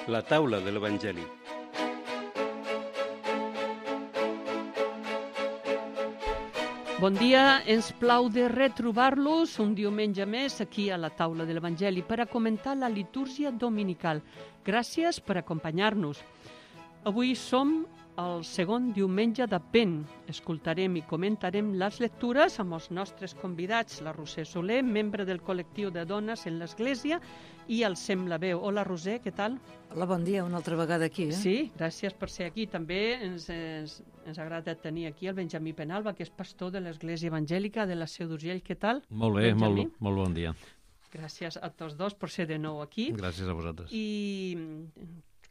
La taula de l'Evangeli. Bon dia, ens plau de retrobar-los un diumenge més aquí a la taula de l'Evangeli per a comentar la litúrgia dominical. Gràcies per acompanyar-nos. Avui som el segon diumenge d'Advent. Escoltarem i comentarem les lectures amb els nostres convidats, la Roser Soler, membre del col·lectiu de dones en l'Església, i el Sem la Veu. Hola, Roser, què tal? Hola, bon dia, una altra vegada aquí. Sí, gràcies per ser aquí. També ens agrada tenir aquí el Benjamí Penalba, que és pastor de l'Església Evangèlica de la Seu d'Urgell. Què tal? Molt bé, molt bon dia. Gràcies a tots dos per ser de nou aquí. Gràcies a vosaltres. I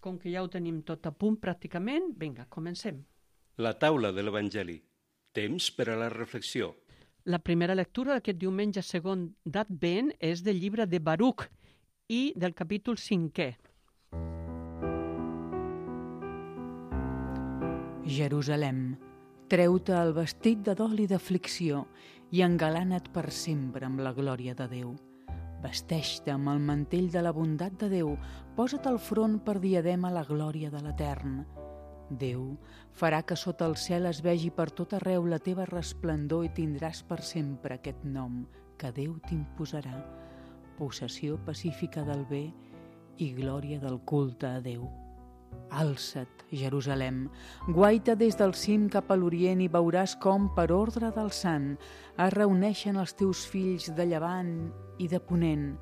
com que ja ho tenim tot a punt pràcticament, vinga, comencem. La taula de l'Evangeli. Temps per a la reflexió. La primera lectura d'aquest diumenge segon d'Advent és del llibre de Baruc i del capítol 5è. Jerusalem, treu-te el vestit de dol i d'aflicció i engalana't per sempre amb la glòria de Déu. Vesteix-te amb el mantell de la bondat de Déu, posa't al front per diadema la glòria de l'Etern. Déu farà que sota el cel es vegi per tot arreu la teva resplendor i tindràs per sempre aquest nom que Déu t'imposarà, possessió pacífica del bé i glòria del culte a Déu. Alça't, Jerusalem, guaita des del cim cap a l'Orient i veuràs com, per ordre del Sant, es reuneixen els teus fills de llevant i de ponent,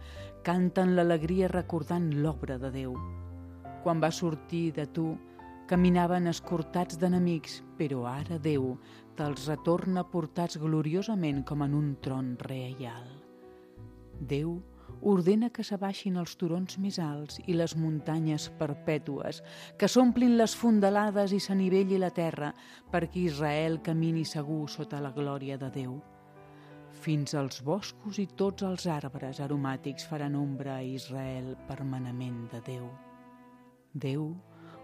canten l'alegria recordant l'obra de Déu. Quan va sortir de tu, caminaven escortats d'enemics, però ara Déu te'ls retorna portats gloriosament com en un tron reial. Déu ordena que s'abaixin els turons més alts i les muntanyes perpètues, que s'omplin les fondalades i s'anivelli la terra, perquè Israel camini segur sota la glòria de Déu. Fins als boscos i tots els arbres aromàtics faran ombra a Israel per manament de Déu. Déu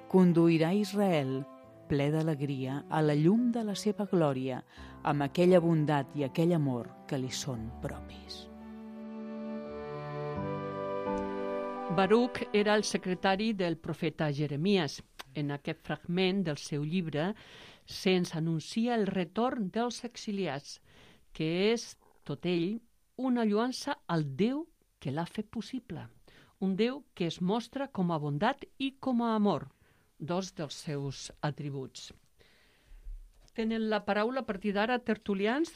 conduirà Israel, ple d'alegria, a la llum de la seva glòria, amb aquella bondat i aquell amor que li són propis. Baruc era el secretari del profeta Jeremies. En aquest fragment del seu llibre se'ns anuncia el retorn dels exiliats, que és, tot ell, una lloança al Déu que l'ha fet possible. Un Déu que es mostra com a bondat i com a amor, dos dels seus atributs. Tenen la paraula a partir d'ara, tertulians?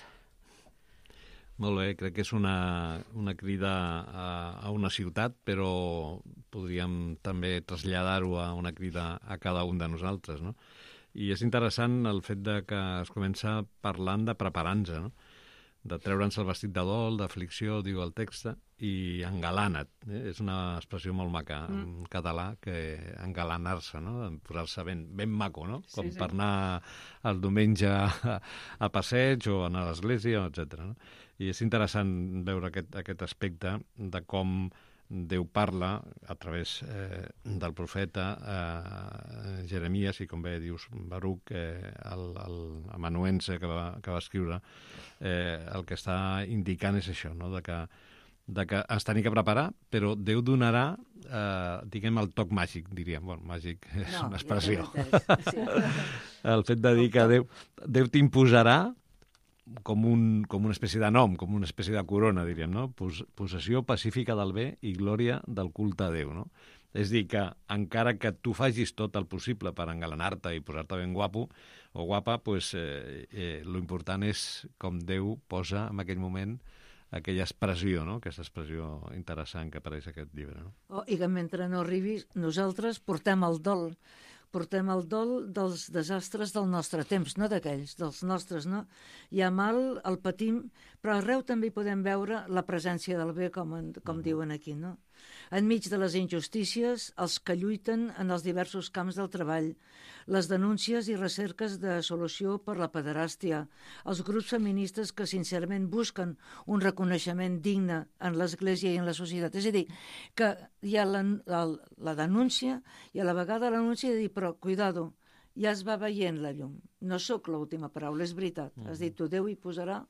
Molt bé, crec que és una crida a una ciutat, però podríem també traslladar-ho a una crida a cada un de nosaltres, no? I és interessant el fet de que es comença parlant de preparar-nos, no? De treure'ns el vestit de dol, d'aflicció, diu el text, i engalana't. És una expressió molt maca en català, que engalanar-se, no? Posar-se ben maco, no? Com sí. per anar el diumenge a passeig o anar a l'església, etc. No? I és interessant veure aquest aspecte de com Déu parla a través del profeta Jeremies i, com bé dius, Baruc, l'amanuense que va escriure, el que està indicant és això, no? de que ens tenim que preparar, però Déu donarà, diguem, el toc màgic, diríem. Bueno, màgic és una expressió. Sí. El fet de dir que Déu t'imposarà com una espècie de nom, com una espècie de corona, diríem, no? Possessió pacífica del bé i glòria del culte a Déu, no? És dir, que encara que tu facis tot el possible per engalanar-te i posar-te ben guapo o guapa, pues, lo important és com Déu posa en aquell moment aquella expressió, no? Aquesta expressió interessant que apareix en aquest llibre, no? I que mentre no arribi, nosaltres portem el dol dels desastres del nostre temps, no d'aquells, dels nostres, no? Hi ha mal, el patim, però arreu també hi podem veure la presència del bé, com diuen aquí, no? Enmig de les injustícies, els que lluiten en els diversos camps del treball, les denúncies i recerques de solució per la pederàstia, els grups feministes que sincerament busquen un reconeixement digne en l'Església i en la societat. És a dir, que hi ha la denúncia i a la vegada l'anunci de dir, però cuidado, ja es va veient la llum. No sóc l'última paraula, és veritat. Has dit, tu, Déu hi posarà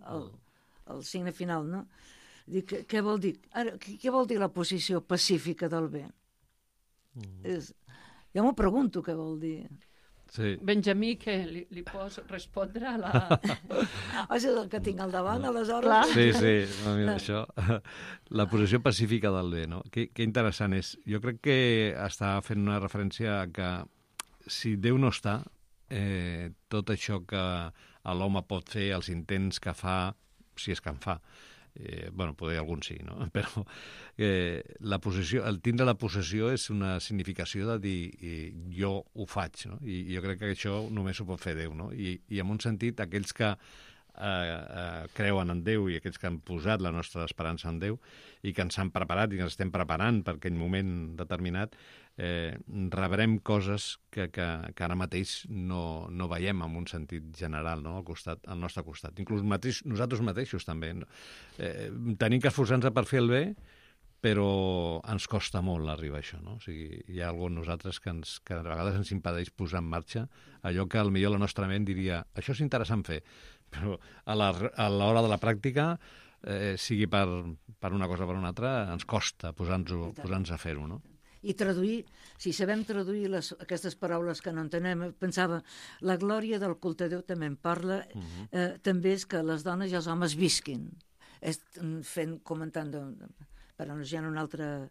el signe final, no? Què vol dir? Ara, què vol dir la posició pacífica del bé? Jo m'ho pregunto què vol dir. Sí. Benjamí, que li pots respondre a la... És el que tinc al davant, aleshores. Sí, no, mira, això. La posició pacífica del bé, no? Que interessant és. Jo crec que està fent una referència a que si Déu no està, tot això que l'home pot fer, els intents que fa, si és que en fa, bueno, potser algun sí, no? Però la possessió, el tindre la possessió és una significació de dir jo ho faig, no? I jo crec que això només ho pot fer Déu, no? I en un sentit, aquells que creuen en Déu i aquells que han posat la nostra esperança en Déu i que ens han preparat i que ens estem preparant per aquell moment determinat, rebrem coses que ara mateix no veiem en un sentit general, no? Al nostre costat. Inclús nosaltres mateixos també. Tenim que esforçar-nos per fer el bé, però ens costa molt arribar a això, no? O sigui, hi ha alguna nosaltres que a vegades ens impedeix posar en marxa allò que potser la nostra ment diria això és interessant fer, però a l'hora de la pràctica, sigui per una cosa o per una altra, ens costa posar-nos a fer-ho, no? I traduir, si sabem traduir aquestes paraules que no entenem, pensava, la glòria del culte a Déu també en parla, també és que les dones i els homes visquin, comentant, per anunciar un altre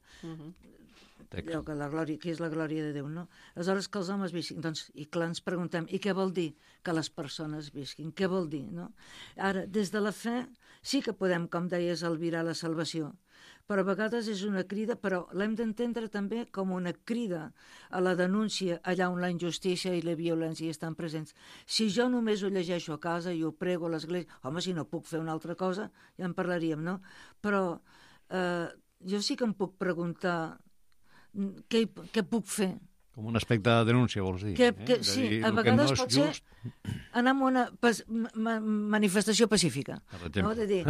allò que la glòria, que és la glòria de Déu, no? Aleshores que els homes visquin, doncs, i clar, ens preguntem, i què vol dir que les persones visquin? Què vol dir, no? Ara, des de la fe sí que podem, com deies, albirar la salvació, però a vegades és una crida, però l'hem d'entendre també com una crida a la denúncia allà on la injustícia i la violència estan presents. Si jo només ho llegeixo a casa i ho prego a l'església, home, si no puc fer una altra cosa, ja en parlaríem, no? Però jo sí que em puc preguntar què puc fer. Com un aspecte de denúncia, vols dir? Sí, a vegades pot ser anar a una manifestació pacífica. Per exemple. No? De dir,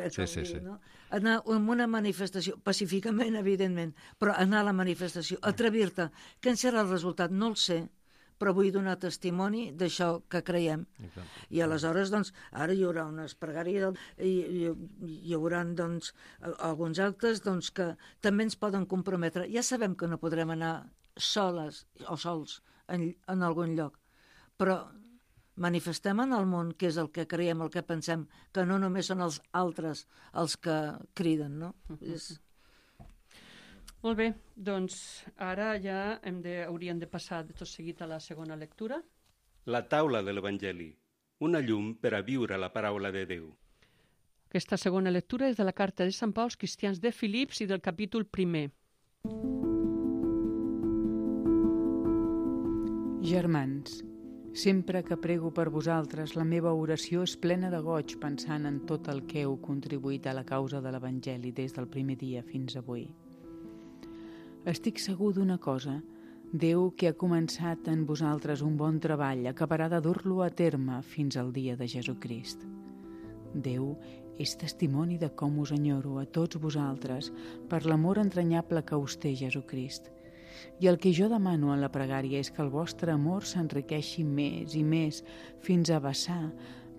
sí. No? Anar a una manifestació, pacíficament, evidentment, però anar a la manifestació, atrevir-te. Què en serà el resultat? No el sé, però vull donar testimoni d'això que creiem. I aleshores, doncs, ara hi haurà unes pregàries, hi haurà, doncs, alguns actes doncs, que també ens poden comprometre. Ja sabem que no podrem anar soles o sols en algun lloc, però manifestem en el món què és el que creiem, el que pensem, que no només són els altres els que criden, no? Molt bé, doncs ara ja hauríem de passar de tot seguit a la segona lectura. La taula de l'Evangeli, una llum per a viure la paraula de Déu. Aquesta segona lectura és de la carta de Sant Pau als cristians de Filips i del capítol 1. Germans, sempre que prego per vosaltres, la meva oració és plena de goig pensant en tot el que heu contribuït a la causa de l'Evangeli des del primer dia fins avui. Estic segur d'una cosa, Déu que ha començat en vosaltres un bon treball acabarà de dur-lo a terme fins al dia de Jesucrist. Déu és testimoni de com us enyoro a tots vosaltres per l'amor entranyable que us té Jesucrist. I el que jo demano en la pregària és que el vostre amor s'enriqueixi més i més fins a vessar,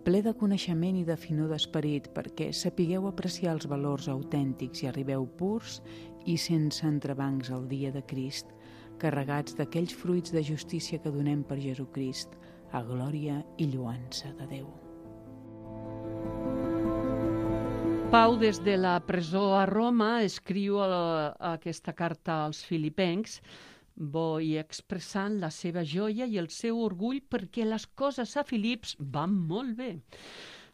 ple de coneixement i de finor d'esperit, perquè sapigueu apreciar els valors autèntics i arribeu purs i sense entrebancs al dia de Crist, carregats d'aquells fruits de justícia que donem per Jesucrist, a glòria i lloança de Déu. Pau, des de la presó a Roma, escriu aquesta carta als filipencs, i expressant la seva joia i el seu orgull perquè les coses a Filips van molt bé,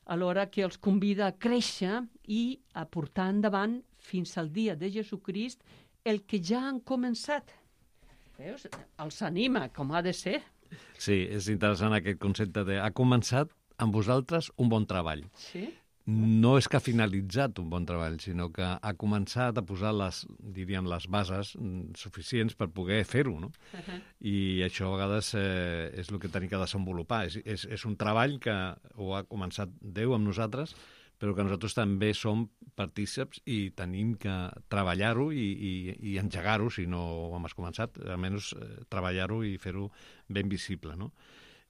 alhora que els convida a créixer i a portar endavant fins al dia de Jesucrist el que ja han començat. Veus? Els anima, com ha de ser. Sí, és interessant aquest concepte de ha començat amb vosaltres un bon treball. Sí? No és que ha finalitzat un bon treball, sinó que ha començat a posar les bases suficients per poder fer-ho, no? I això a vegades és el que tenim que desenvolupar. És un treball que ho ha començat Déu amb nosaltres, però que nosaltres també som partíceps i tenim que treballar-ho i engegar-ho, si no ho hem començat, almenys treballar-ho i fer-ho ben visible, no?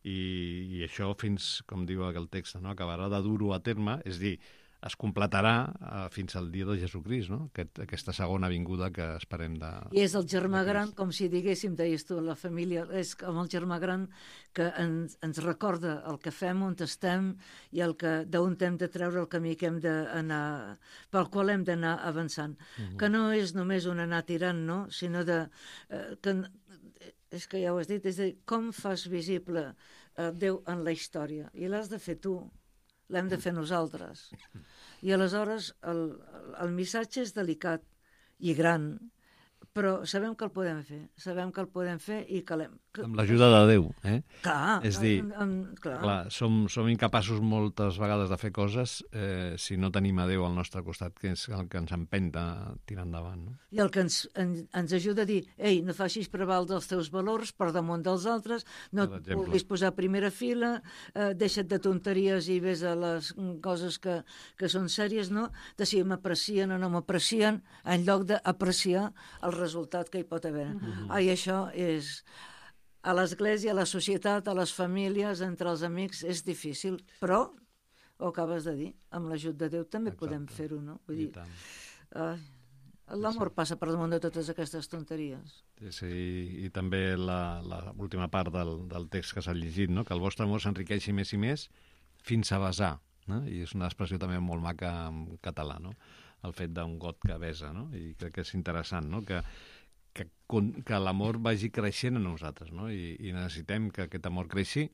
I això fins, com diu el text, no? Acabarà de dur-ho a terme, és dir, es completarà fins al dia de Jesucrist, no? Aquesta segona vinguda que esperem de... I és el germà gran, com si diguéssim, deies tu, la família, és com el germà gran que ens recorda el que fem, on estem i d'on hem de treure el camí que hem d'anar, pel qual hem d'anar avançant. Que no és només un anar tirant, no? Sinó és que ja ho has dit, és a dir, com fas visible Déu en la història? I l'has de fer tu. L'hem de fer nosaltres. I aleshores el missatge és delicat i gran, però sabem que el podem fer i que l'hem... Amb l'ajuda de Déu, eh? Clar, és dir, clar. som incapaços moltes vegades de fer coses si no tenim a Déu al nostre costat, que és el que ens empenta a tirar endavant, no? I el que ens ajuda a dir, ei, no facis prevaldre els teus valors per damunt dels altres, no et vulguis posar a primera fila, deixa't de tonteries i ves a les coses que són sèries, no? De si m'aprecien o no m'aprecien, en lloc d'apreciar el resultat que hi pot haver. I això és... A l'església, a la societat, a les famílies, entre els amics, és difícil, però, ho acabes de dir, amb l'ajut de Déu també podem fer-ho, no? Vull dir, l'amor passa per damunt de totes aquestes tonteries. Sí, i també l'última part del text que s'ha llegit, no? Que el vostre amor s'enriqueixi més i més fins a besar, no? I és una expressió també molt maca en català, no? El fet d'un got que besa, no? I crec que és interessant, no? Que l'amor vagi creixent en nosaltres, no? I necessitem que aquest amor creixi,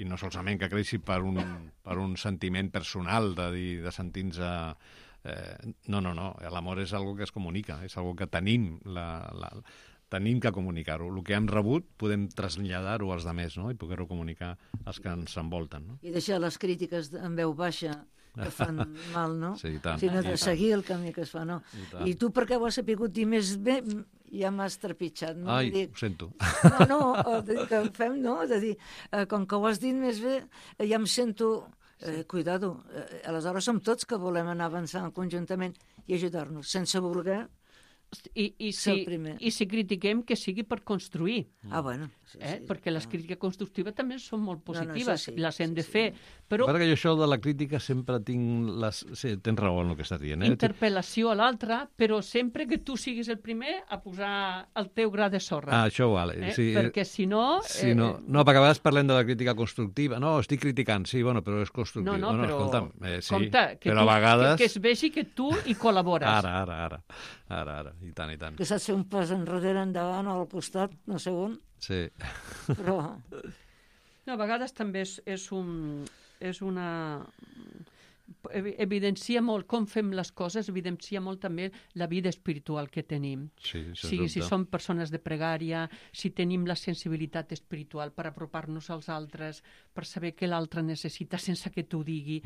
i no solament que creixi per un sentiment personal de sentir-nos... No, l'amor és algo que es comunica, és algo que tenim tenim que comunicar-ho. El que hem rebut podem traslladar-ho als altres, no? I poder-ho comunicar als que ens envolten, no? I deixar les crítiques en veu baixa que fan mal, no? Sí, i tant. Sinó de seguir el camí que es fa, no? I tu per què ho has sabut dir més bé? Ja m'has trepitjat, no? Ai, ho sento. No, que fem, no? És a dir, com que ho has dit més bé, ja em sento... Cuidado, aleshores som tots que volem anar avançant conjuntament i ajudar-nos, sense voler ser el primer. I si critiquem, que sigui per construir. Bueno. Sí, perquè les crítiques constructives també són molt positives, No, les hem de fer. Però perquè jo això de la crítica sempre tinc... Sí, tens raó en el que estàs dient. Interpel·lació a l'altre, però sempre que tu siguis el primer a posar el teu gra de sorra. Això vale. Sí, perquè si no... No, perquè a vegades parlem de la crítica constructiva. No, estic criticant, sí, bueno, però és constructiu. No, però... Escolta'm, sí, compte, però a vegades... Que es vegi que tu hi col·labores. Ara. I tant. Que saps fer un pas enrere, endavant o al costat, no sé on. Sí. Però... No, a vegades també és una... Evidencia molt com fem les coses, evidencia molt també la vida espiritual que tenim. Sí, si som persones de pregària, si tenim la sensibilitat espiritual per apropar-nos als altres, per saber què l'altre necessita sense que t'ho digui.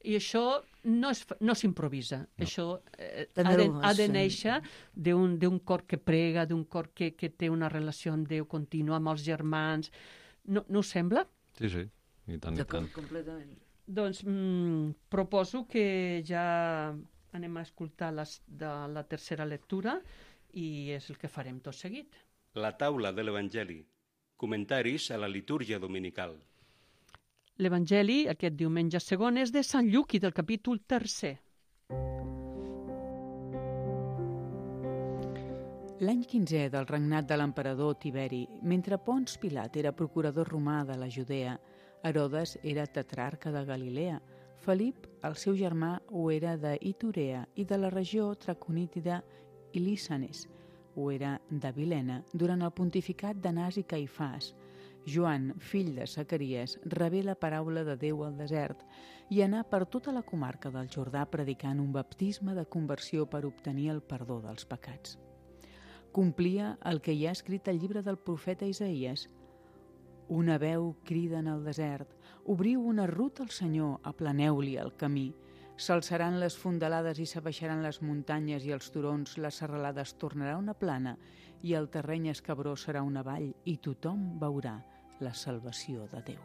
I això no s'improvisa. No. Això ha de néixer d'un cor que prega, d'un cor que té una relació amb Déu contínua, amb els germans. No us sembla? Sí, i tant. Completament. Doncs proposo que ja anem a escoltar la tercera lectura i és el que farem tot seguit. La taula de l'Evangeli. Comentaris a la litúrgia dominical. L'Evangeli, aquest diumenge segon, és de Sant Lluc i del capítol 3. L'any 15è del regnat de l'emperador Tiberi, mentre Pons Pilat era procurador romà de la Judea, Herodes era tetrarca de Galilea, Felip, el seu germà, ho era d'Iturea i de la regió traconítida i Lísanes, ho era d'Abilena, durant el pontificat d'Anàs i Caifàs. Joan, fill de Zacaries, rebé la paraula de Déu al desert i anà per tota la comarca del Jordà predicant un baptisme de conversió per obtenir el perdó dels pecats. Complia el que hi ha escrit al llibre del profeta Isaïes. Una veu crida en el desert, obriu una ruta al Senyor, aplaneu-li el camí. S'alçaran les fondalades i s'abaixaran les muntanyes i els turons, les serralades tornarà una plana i el terreny escabrós serà una vall i tothom veurà la salvació de Déu.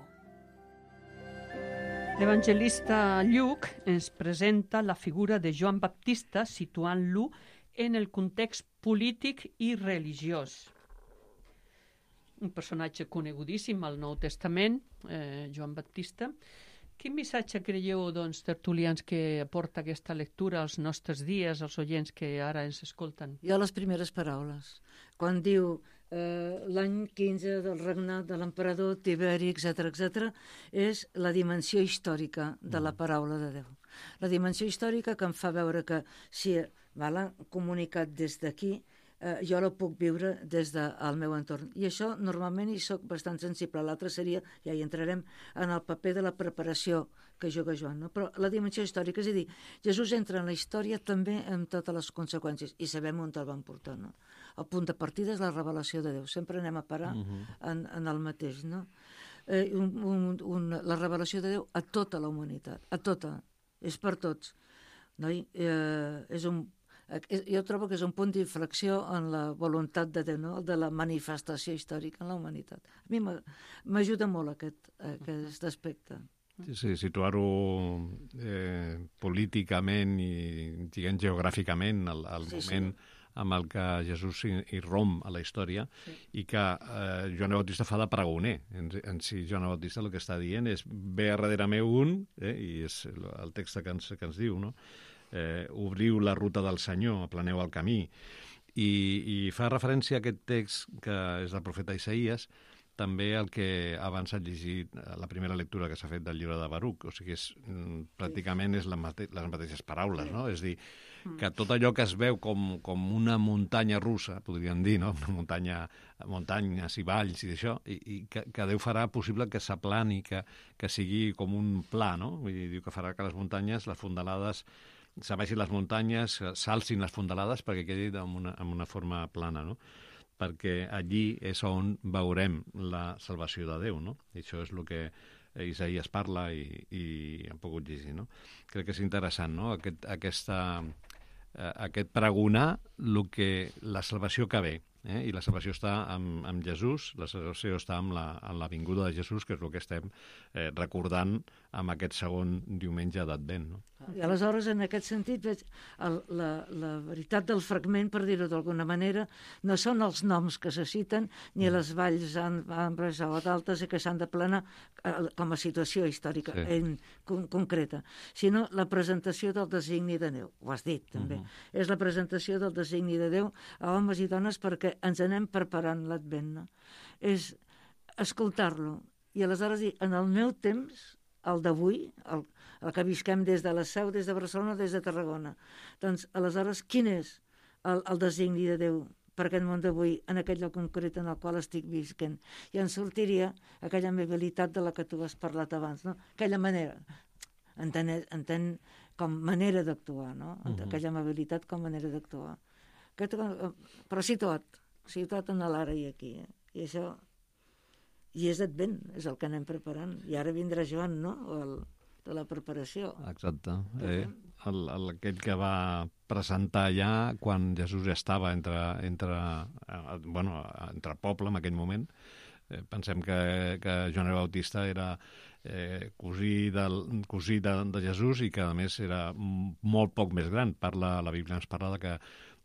L'evangelista Lluc ens presenta la figura de Joan Baptista situant-lo en el context polític i religiós. Un personatge conegudíssim al Nou Testament, Joan Baptista, Quin missatge creieu, doncs, tertulians, que aporta aquesta lectura als nostres dies, als oients que ara ens escolten? Jo les primeres paraules. Quan diu l'any 15 del regnat de l'emperador Tiberi, etc., és la dimensió històrica de la paraula de Déu. La dimensió històrica que em fa veure que si l'han comunicat des d'aquí, jo la puc viure des del meu entorn. I això normalment hi soc bastant sensible. L'altre seria, ja hi entrarem, en el paper de la preparació que juga Joan. No? Però la dimensió històrica, és a dir, Jesús entra en la història també amb totes les conseqüències i sabem on el van portar. No? El punt de partida és la revelació de Déu. Sempre anem a parar en el mateix. No? La revelació de Déu a tota la humanitat, a tota. És per tots. No? Jo trobo que és un punt d'inflexió en la voluntat de Déu, no? De la manifestació històrica en la humanitat. A mi m'ajuda molt aquest aspecte. Sí, situar-ho políticament i, diguem, geogràficament al moment amb el que Jesús irromp a la història i que Joan Bautista fa de pregoner. En si Joan Bautista el que està dient és ve a darrere meu un, i és el text que ens diu, no? Obriu la ruta del Senyor, aplaneu el camí. I fa referència a aquest text que és del profeta Isaïes, també el que abans ha llegit la primera lectura que s'ha fet del llibre de Baruc, o sigui, pràcticament és les mateixes paraules, no? És dir, que tot allò que es veu com una muntanya russa, podríem dir, no? Una muntanyes i valls i d'això, i que Déu farà possible que s'aplani, que sigui com un pla, no? Vull dir, que farà que les muntanyes, les fondalades, s'abaixin les muntanyes, s'alcin les fondalades perquè quedi amb una forma plana, no? Perquè allí és on veurem la salvació de Déu, no? I això és el que Isaías parla i hem pogut llegir, no? Crec que és interessant, no? Aquest pregonar la salvació que ve, i la salvació està amb Jesús, la salvació està amb la vinguda de Jesús, que és el que estem recordant amb aquest segon diumenge d'Advent, no? I aleshores, en aquest sentit, veig la veritat del fragment, per dir-ho d'alguna manera, no són els noms que se citen ni les valls ambres o d'altes que s'han de planar com a situació històrica concreta, sinó la presentació del designi de Déu. Ho has dit, també. És la presentació del designi de Déu a homes i dones perquè ens anem preparant l'Advent. No? És escoltar-lo i aleshores dir, en el meu temps, el d'avui, el que visquem des de la Seu, des de Barcelona, des de Tarragona. Doncs, aleshores, quin és el designi de Déu per aquest món d'avui, en aquell lloc concret en el qual estic visquent? I en sortiria aquella amabilitat de la que tu has parlat abans, no? Aquella manera, entén com manera d'actuar, no? Aquella amabilitat com manera d'actuar. Però sí tot en l'ara i aquí. I això... I és Advent, és el que anem preparant. I ara vindrà Joan, no?, de la preparació. Exacte. Aquell que va presentar ja quan Jesús ja estava entre poble en aquell moment. Pensem que Joan Bautista era cosí de Jesús i que, a més, era molt poc més gran. La Bíblia ens parla de que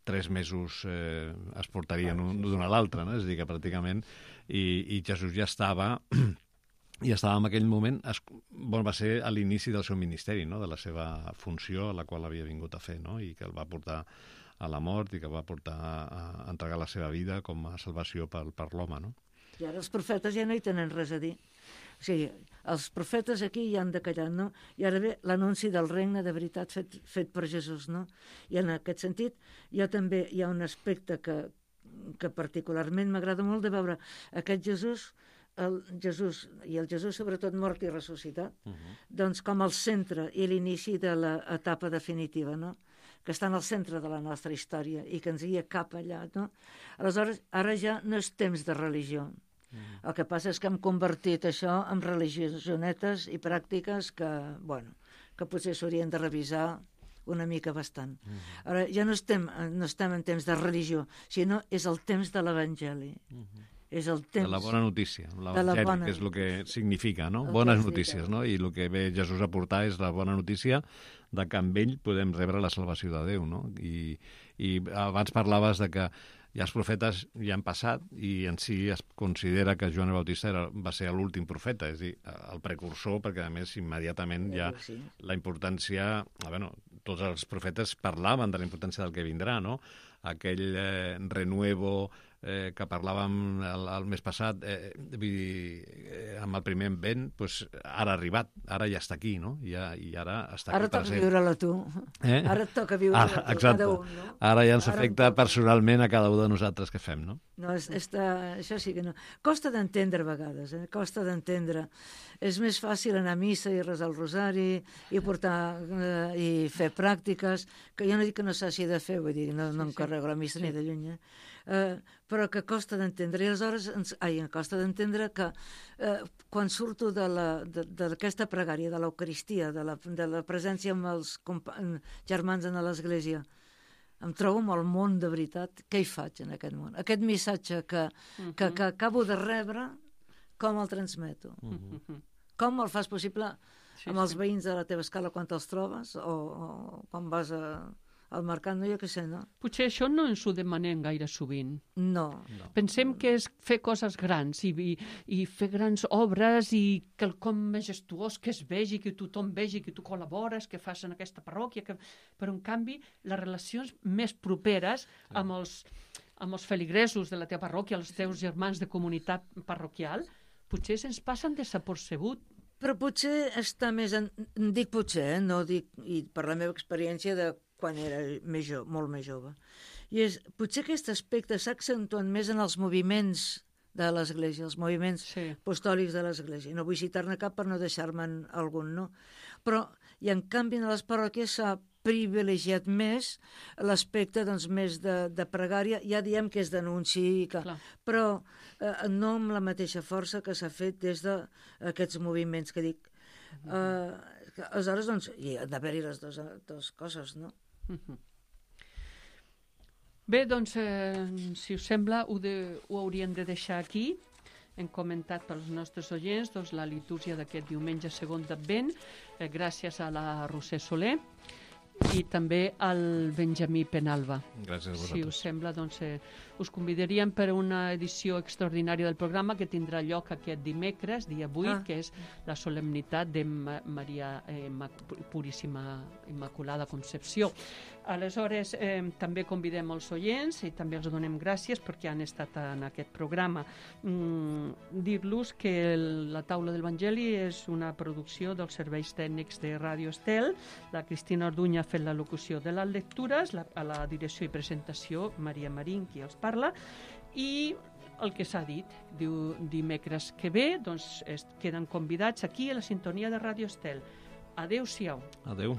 3 mesos es portarien d'un a l'altre, no? És a dir, que pràcticament... I Jesús ja estava en aquell moment, va ser a l'inici del seu ministeri, no? De la seva funció, a la qual havia vingut a fer, no? I que el va portar a la mort i que va portar a entregar la seva vida com a salvació per l'home, no? I ara els profetes ja no hi tenen res a dir. O sigui, els profetes aquí ja han de callar, no? I ara ve l'anunci del regne de veritat fet per Jesús, no? I en aquest sentit també hi ha un aspecte que particularment m'agrada molt de veure aquest Jesús, el Jesús sobretot mort i ressuscitat, doncs com el centre i l'inici de l'etapa definitiva, no? Que està en el centre de la nostra història i que ens guia cap allà, no? Aleshores, ara ja no és temps de religió. El que passa és que hem convertit això en religionetes i pràctiques que potser s'haurien de revisar una mica bastant. Ara, ja no estem en temps de religió, sinó és el temps de l'Evangeli. és el temps. De la bona notícia, De la l'evangeli, bona- que és el que significa, no? El que Bones significa. notícies, no? I el que ve Jesús a portar és la bona notícia de que amb ell podem rebre la salvació de Déu, no? I abans parlaves de que ja els profetes ja han passat i en si es considera que Joan el Bautista va ser l'últim profeta, és a dir, el precursor, perquè a més immediatament ja Sí. la importància... Bueno, tots els profetes parlaven de la importància del que vindrà, no? Aquell renuevo que parlàvem el mes passat, vull dir, amb el primer vent, doncs ara ha arribat, ara ja està aquí, no? I ara està Ara aquí per toca sempre. viure-la tu. Ara et toca viure-la tu, Exacte. cada un, no? Ara ja ens Ara em afecta toca. personalment a cada un de nosaltres que fem, no? No, això sí que no. Costa d'entendre a vegades, costa d'entendre. És més fàcil anar a missa i resar el rosari i portar i fer pràctiques, que jo no dic que no s'hagi de fer, vull dir, no em carrego la missa ni de lluny, però que costa d'entendre. I aleshores em costa d'entendre que quan surto d'aquesta pregària, de l'Eucaristia, de la presència amb els germans en l'església, em trobo amb el món de veritat. Què hi faig en aquest món? Aquest missatge que acabo de rebre, com el transmeto? Com el fas possible amb els veïns de la teva escala quan te'ls trobes o quan vas al mercat, no, jo què sé, no? Potser això no ens ho demanem gaire sovint. No. Pensem que és fer coses grans i fer grans obres i quelcom majestuós que es vegi, que tothom vegi, que tu col·labores, que fas en aquesta parròquia, però en canvi les relacions més properes amb els feligresos de la teva parròquia, els teus germans de comunitat parroquial, potser se'ns passen desapercebut. Però potser està més... Dic potser, no dic... I per la meva experiència de quan era molt més jove. I potser aquest aspecte s'ha accentuat més en els moviments de l'Església, els moviments apostòlics de l'Església. No vull citar-ne cap per no deixar-me'n algun, no? Però, i en canvi, en les parròquies s'ha privilegiat més l'aspecte doncs, més de pregària, ja diem que és d'anunci, però no amb la mateixa força que s'ha fet des d'aquests moviments que dic. Aleshores, doncs, hi ha d'haver-hi les dues coses, no? Bé, doncs, si us sembla, ho hauríem de deixar aquí. Hem comentat pels nostres oients doncs, la litúrgia d'aquest diumenge segon d'Advent, gràcies a la Roser Soler i també al Benjamí Penalba. Gràcies a vosaltres. Si us sembla, doncs, us convidaríem per a una edició extraordinària del programa que tindrà lloc aquest dimecres, dia 8, que és la solemnitat de Maria Puríssima Immaculada Concepció. Aleshores, també convidem els oients i també els donem gràcies perquè han estat en aquest programa. Dir-los que la Taula del Vangeli és una producció dels serveis tècnics de Ràdio Estel. La Cristina Orduña ha fet la locució de les lectures, a la direcció i presentació Maria Marín, qui els parla, i el que s'ha dit, diu dimecres que ve, doncs queden convidats aquí a la sintonia de Ràdio Estel. Adéu-siau. Adéu.